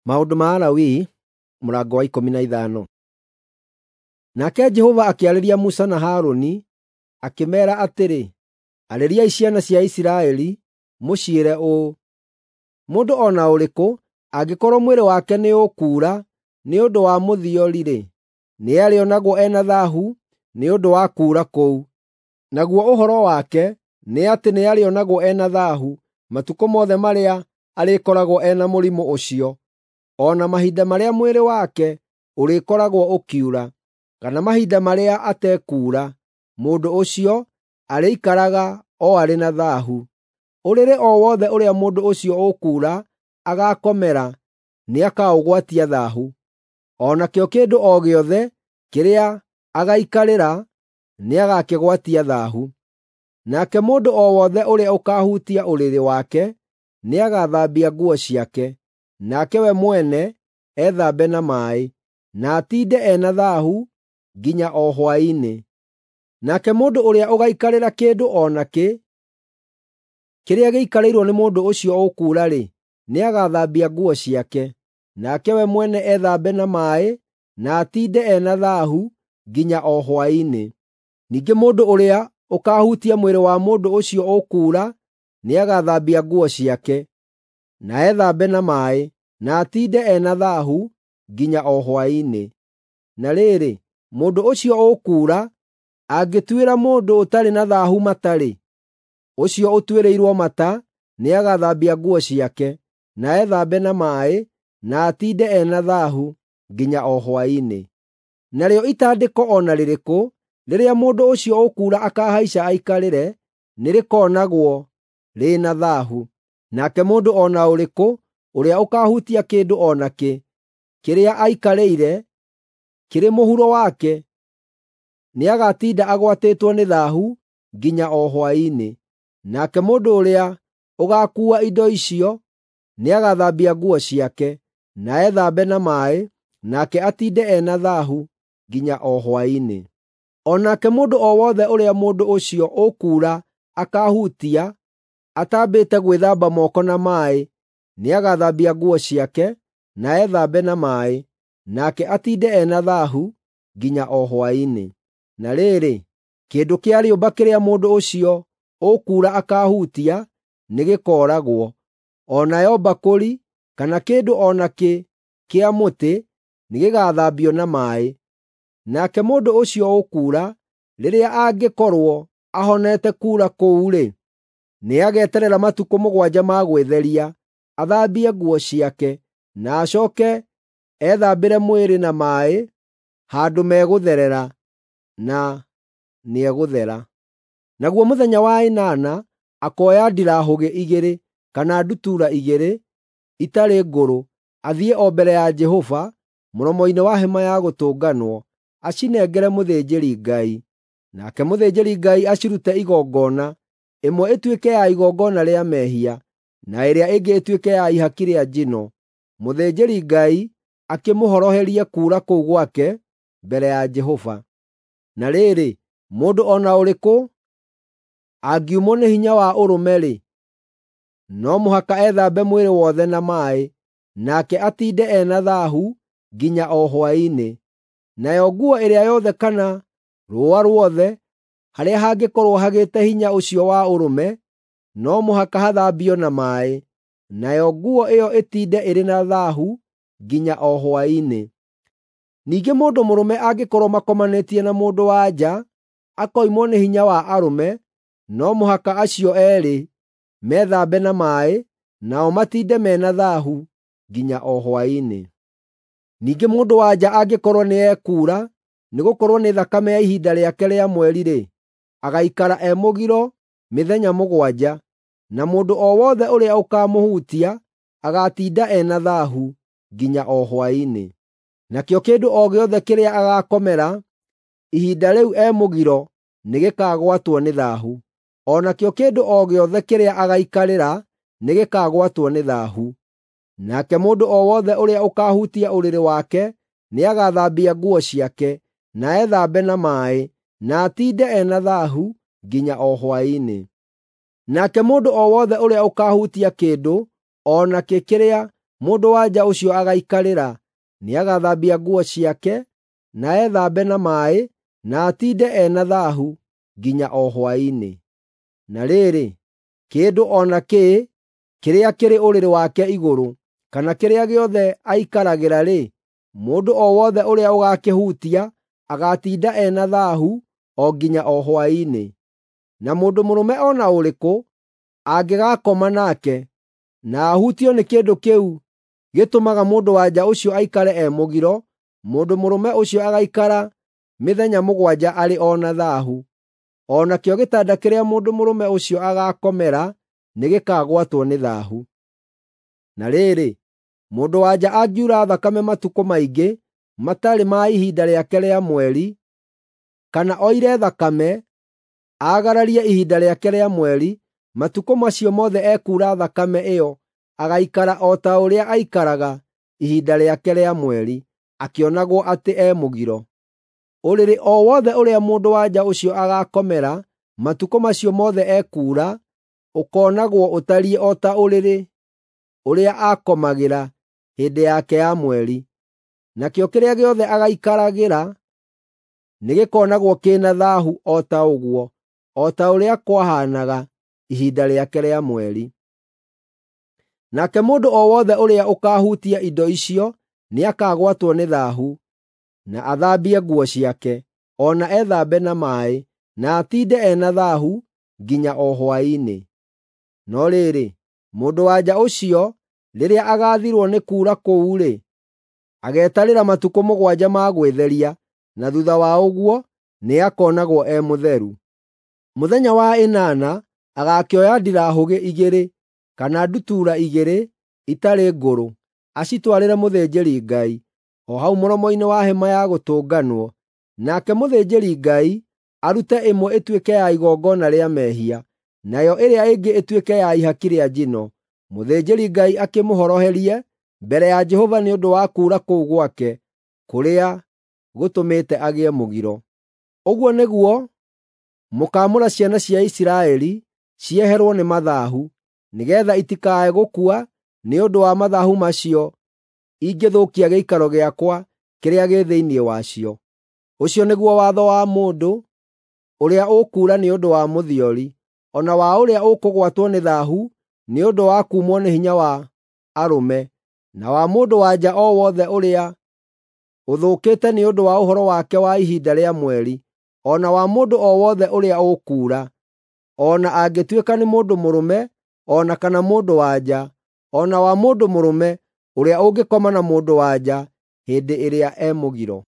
Maũndũ ma Alawii mũrango wa 15. Nake Jehova akĩarĩria Musa na Harũni, akĩmeera atĩrĩ, “Arĩriai ciana cia Isiraeli, mũciĩre ũũ: ‘Mũndũ o na ũrĩkũ angĩkorwo mwĩrĩ wake nĩũkuura nĩ ũndũ wa mũthiori-rĩ, nĩarĩonagwo e na thaahu nĩ ũndũ wa kuura kũu. Naguo ũhoro wake nĩ atĩ nĩarĩonagwo e na thaahu matukũ mothe marĩa arĩkoragwo e na mũrimũ ũcio, o na mahinda marĩa mwĩrĩ wake ũrĩkoragwo ũkiura, kana mahinda marĩa atekuura, mũndũ ũcio arĩikaraga o arĩ na thaahu. Ũrĩrĩ o wothe ũrĩa mũndũ ũcio ũkuura agaakomera nĩakaũgwatia thaahu, o nakĩo kĩndũ o gĩothe kĩrĩa agaikarĩra nĩagakĩgwatia thaahu. Nake mũndũ o wothe ũrĩa ũkaahutia ũrĩrĩ wake nĩagathambia nguo ciake, nake we mwene ethambe na maaĩ, na atiinde e na thaahu nginya o hwaĩ-inĩ. Nake mũndũ ũrĩa ũgaikarĩra kĩndũ o nakĩ kĩrĩa gĩikarĩirwo nĩ mũndũ ũcio ũkuura-rĩ, nĩagathambia nguo ciake, nake we mwene ethambe na maaĩ, na atiinde e na thaahu nginya o hwaĩ-inĩ. Ningĩ mũndũ ũrĩa ũkaahutia mwĩrĩ wa mũndũ ũcio ũkuura nĩagathambia nguo ciake, na ethambe na maaĩ, na atiinde e na thaahu nginya o hwaĩ-inĩ. Na rĩrĩ, mũndũ ũcio ũkuura angĩtuĩra mũndũ ũtarĩ na thaahu mata-rĩ, ũcio ũtuĩrĩirwo mata nĩagathambia nguo ciake, na ethambe na maaĩ, na atiinde e na thaahu nginya o hwaĩ-inĩ. Narĩo itandĩko o na rĩrĩkũ rĩrĩa mũndũ ũcio ũkuura akahaica aikarĩre nĩrĩkonagwo rĩ na thaahu. Nake mũndũ o na ũrĩkũ ũrĩa ũkaahutia kĩndũ o nakĩ kĩrĩa aikarĩire kĩrĩ mũhuro wake nĩagatinda agwatĩtwo nĩ thaahu nginya o hwaĩ-inĩ. Nake mũndũ ũrĩa ũgaakuua indo icio nĩagathambia nguo ciake, na ethambe na maaĩ, nake atiinde e na thaahu nginya o hwaĩ-inĩ. O nake mũndũ o wothe ũrĩa mũndũ ũcio ũkuura akaahutia atambĩte gwĩthamba moko na maaĩ, nĩagathambia nguo ciake, na ethambe na maaĩ, nake atiinde e na thaahu nginya o hwaĩ-inĩ. Na rĩrĩ, kĩndũ kĩa rĩũmba kĩrĩa mũndũ ũcio ũkuura akaahutia nĩgĩkooragwo, o nayo mbakũri kana kĩndũ o nakĩ kĩa mũtĩ nĩgĩgathambio na maaĩ. Nake mũndũ ũcio ũkuura, rĩrĩa angĩkorwo ahonete kuura kũu-rĩ, nĩageterera matukũ 7 ma gwĩtheria, athambie nguo ciake, na acooke ethambĩre mwĩrĩ na maaĩ handũ megũtherera, na nĩegũthera. Naguo mũthenya wa ĩnana akoya ndirahũgĩ 2 kana ndutura 2 itarĩ ngũrũ, athiĩ o mbere ya Jehova mũromo-inĩ wa Hema-ya Gũtũnganwo, acinengere mũthĩnjĩri-Ngai. Nake mũthĩnjĩri-Ngai acirute igongona, ĩmwe ĩtuĩke ya igongona rĩa mehia, na ĩrĩa ĩngĩ ĩtuĩke ya ihaki rĩa njino. Mũthĩnjĩri-Ngai akĩmũhoroherie kuura kũu gwake mbere ya Jehova. Na rĩrĩ, mũndũ o na ũrĩkũ angiumwo nĩ hinya wa ũrũme-rĩ, no mũhaka ethambe mwĩrĩ wothe na maaĩ, nake atiinde e na thaahu nginya o hwaĩ-inĩ. Nayo nguo ĩrĩa yothe kana rũũa ruothe harĩa hangĩkorwo hagĩte hinya ũcio wa ũrũme, no mũhaka hathambio na maaĩ, nayo nguo ĩyo ĩtiinde ĩrĩ na thaahu nginya o hwaĩ-inĩ. Ningĩ mũndũ mũrũme angĩkorwo makomanĩtie na mũndũ-wa-nja akoimwo nĩ hinya wa arũme, no mũhaka acio eerĩ methambe na maaĩ, nao matiinde me na thaahu nginya o hwaĩ-inĩ. Ningĩ mũndũ-wa-nja angĩkorwo nĩekuura, nĩgũkorwo nĩ thakame ya ihinda rĩake rĩa mweri-rĩ, agaikara e mũgiro mĩthenya 7, na mũndũ o wothe ũrĩa ũkaamũhutia agaatinda e na thaahu nginya o hwaĩ-inĩ. Nakĩo kĩndũ o gĩothe kĩrĩa agaakomera ihinda rĩu e mũgiro nĩgĩkagwatwo nĩ thaahu, o nakĩo kĩndũ o gĩothe kĩrĩa agaikarĩra nĩgĩkagwatwo nĩ thaahu. Nake mũndũ o wothe ũrĩa ũkaahutia ũrĩrĩ wake nĩagathambia nguo ciake, na ethambe na maaĩ, na atiinde e na thaahu nginya o hwaĩ-inĩ. Nake mũndũ o wothe ũrĩa ũkaahutia kĩndũ o nakĩ kĩrĩa mũndũ-wa-nja ũcio agaikarĩra, nĩagathambia nguo ciake, na ethambe na maaĩ, na atiinde e na thaahu nginya o hwaĩ-inĩ. Na rĩrĩ, kĩndũ o nakĩ kĩrĩa kĩrĩ ũrĩrĩ wake igũrũ, kana kĩrĩa gĩothe aikaragĩra-rĩ, mũndũ o wothe ũrĩa ũgaakĩhutia agaatinda e na thaahu o nginya o hwaĩ-inĩ. Na mũndũ mũrũme o na ũrĩkũ angĩgaakoma nake, na ahutio nĩ kĩndũ kĩu gĩtũmaga mũndũ-wa-nja ũcio aikare e mũgiro, mũndũ mũrũme ũcio agaikara mĩthenya mũgwanja arĩ o na thaahu. O nakĩo gĩtanda kĩrĩa mũndũ mũrũme ũcio agaakomera nĩgĩkagwatwo nĩ thaahu. Na rĩrĩ, mũndũ-wa-nja angiura thakame matukũ maingĩ matarĩ ma ihinda rĩake rĩa mweri, kana oire thakame, aagararie ihinda rĩake rĩa mweri, matukũ macio mothe ekuura thakame ĩyo agaikara o ta ũrĩa aikaraga ihinda rĩake rĩa mweri, akĩonagwo atĩ e mũgiro. Ũrĩrĩ o wothe ũrĩa mũndũ-wa-nja ũcio agaakomera matukũ macio mothe ekuura ũkoonagwo ũtariĩ o ta ũrĩrĩ ũrĩa aakomagĩra hĩndĩ yake ya mweri. Nakĩo kĩrĩa gĩothe agaikaragĩra nĩgĩkonagwo kĩ na thaahu o ta ũguo, o ta ũrĩa kwahaanaga ihinda rĩake rĩa mweri. Nake mũndũ o wothe ũrĩa ũkaahutia indo icio nĩakagwatwo nĩ thaahu, na athambie nguo ciake, o na ethambe na maaĩ, na atiinde e na thaahu nginya o hwaĩ-inĩ. No rĩrĩ, mũndũ-wa-nja ũcio rĩrĩa agaathirwo nĩ kuura kũu-rĩ, ageetarĩra matukũ mũgwanja ma gwĩtheria, na thuutha wa ũguo nĩakonagwo e mũtheru. Mũthenya wa ĩnana agakĩoya ndirahũgĩ igĩrĩ kana ndutura igĩrĩ itarĩ ngũrũ, acitwarĩre mũthĩnjĩri-Ngai, o hau mũromo-inĩ wa Hema-ya Gũtũnganwo. Nake mũthĩnjĩri-Ngai arute ĩmwe ĩtuĩke ya igongona rĩa mehia, nayo ĩrĩa ĩngĩ ĩtuĩke ya ihaki rĩa njino. Mũthĩnjĩri-Ngai akĩmũhoroherie mbere ya Jehova nĩ ũndũ wa kuura kũu gwake kũrĩa gũtũmĩte agĩe mũgiro. Ũguo nĩguo mũkaamũra ciana cia Isiraeli cieherwo nĩ mathaahu, nĩgeetha itikae gũkua nĩ ũndũ wa mathaahu macio ingĩthũkia gĩikaro gĩakwa kĩrĩa gĩ thĩinĩ wacio. Ũcio nĩguo watho wa mũndũ ũrĩa ũkuura nĩ ũndũ wa mũthiori, o na wa ũrĩa ũkũgwatwo nĩ thaahu nĩ ũndũ wa kuumwo nĩ hinya wa arũme, na wa mũndũ-wa-nja o wothe ũrĩa ũthũkĩte nĩ ũndũ wa ũhoro wake wa ihinda rĩa mweri, o na wa mũndũ o wothe ũrĩa ũkuura, o na angĩtuĩka nĩ mũndũ mũrũme o na kana mũndũ-wa-nja, o na wa mũndũ mũrũme ũrĩa ũngĩkoma na mũndũ-wa-nja hĩndĩ ĩrĩa e mũgiro.